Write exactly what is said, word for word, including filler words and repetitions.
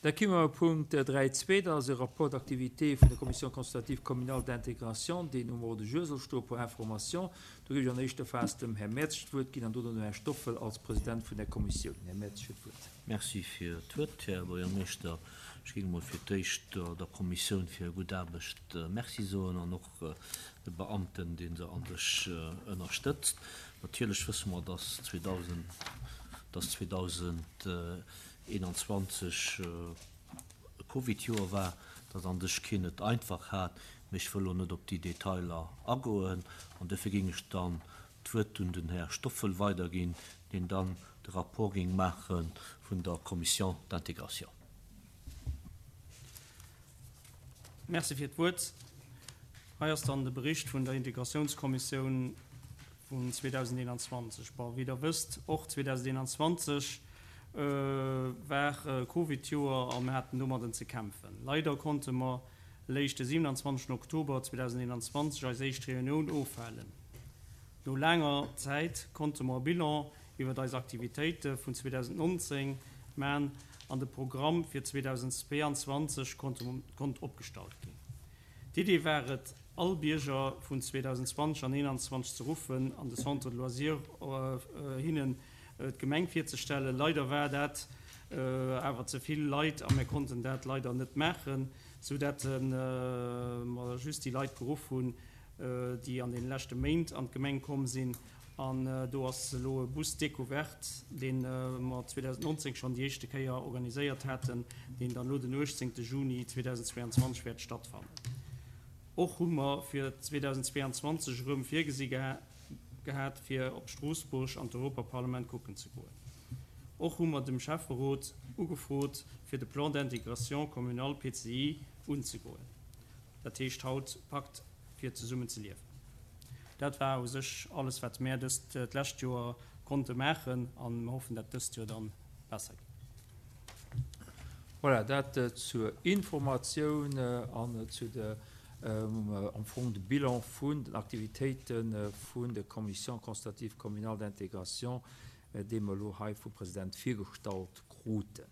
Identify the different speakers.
Speaker 1: Da komme mer op Punkt dräi zwee, dat ass e Rapport d'activité vun der Commission consultative communale d'intégration, deen um Ordre du jour soll stoen, pour information. Do géif ech an éischter Phas dem Här Mertz d'Wuert ginn an dono dem Här Stoffel als President vun der Kommissioun. Här Mertz huet d'Wuert.
Speaker 2: Merci fir d'Wuert, Här Buergermeeschter. Ech géing emol fir d'éischt der Kommissioun fir hir gutt Aarbecht Merci soen an och de Beamten, dee se an sech ënnerstëtzt. Natierlech wësse mer, dass zweedausendeenanzwanzeg e Covidjoer war, dass an sech keen et einfach hat, mee ech wëll elo net op déi Detailer agoen an dofir géing ech dann d'Wuert un den Här Stoffel weiderginn, deen dann de Rapport géing maache vun der Commission d'intégration.
Speaker 3: Merci fir d'Wuert. Hei ass dann de Bericht vun der Integratiounskommissioun vun zweedausendeenanzwanzeg. Bon, wéi Der wësst, och zweedausendeenanzwanzeg war Covid-Joer a mir haten domadden ze kämpfen. Leider konnte mer léischt de siewenanzwanzegsten Oktober zweedausendeenanzwanzeg eis éischt Reunioun ofhalen. No laanger Zäit konnte mer e Bilan iwwert eis Aktivitéite vun zweedausendnonzéng man an de Programm fir zweedausendzweeanzwanzeg konnt opgestallt ginn. D'Idee war et, all Bierger vun zweedausendzwanzeg an eenanzwanzeg ze ruffen an de Centre de loisirs hinnen d'Gemeng virzestellen. Leider war dat awer ze vill Leit a mir konnten dat leider net maachen, sou dat mer just déi Leit geruff hunn, déi an deene leschte Méint an d'Gemeng komm sinn. An do ass elo e Bus découverte, dee mer zweedausendnonzéng schonn déi éischte Kéier organiséiert haten, deen dann elo den uechtzéngte Juni zweedausendzweeanzwanzeg wäert stattfannen. Och hu mer fir zweedausendzweeanzwanzeg erëm virgesi gehat, fir op Stroossbuerg an d'Europaparlament kucken ze goen. Och hu mer dem Schäfferot ugefrot, fir de Plan d'intégration communal, P C I, unzegoen, dat heescht haut Pakt fir zesummen ze liewen. Dat war u sech alles, wat mär dëst d'lescht Joer konnte maachen, a mer hoffen, dat dëst Joer dann besser geet.
Speaker 1: Voilà, dat zur Informatioun an zu de am Fong de Bilan vun den Aktivitéite vun der Commission consultative communale d'intégration, dee mer elo hei vum President virgestallt kruten.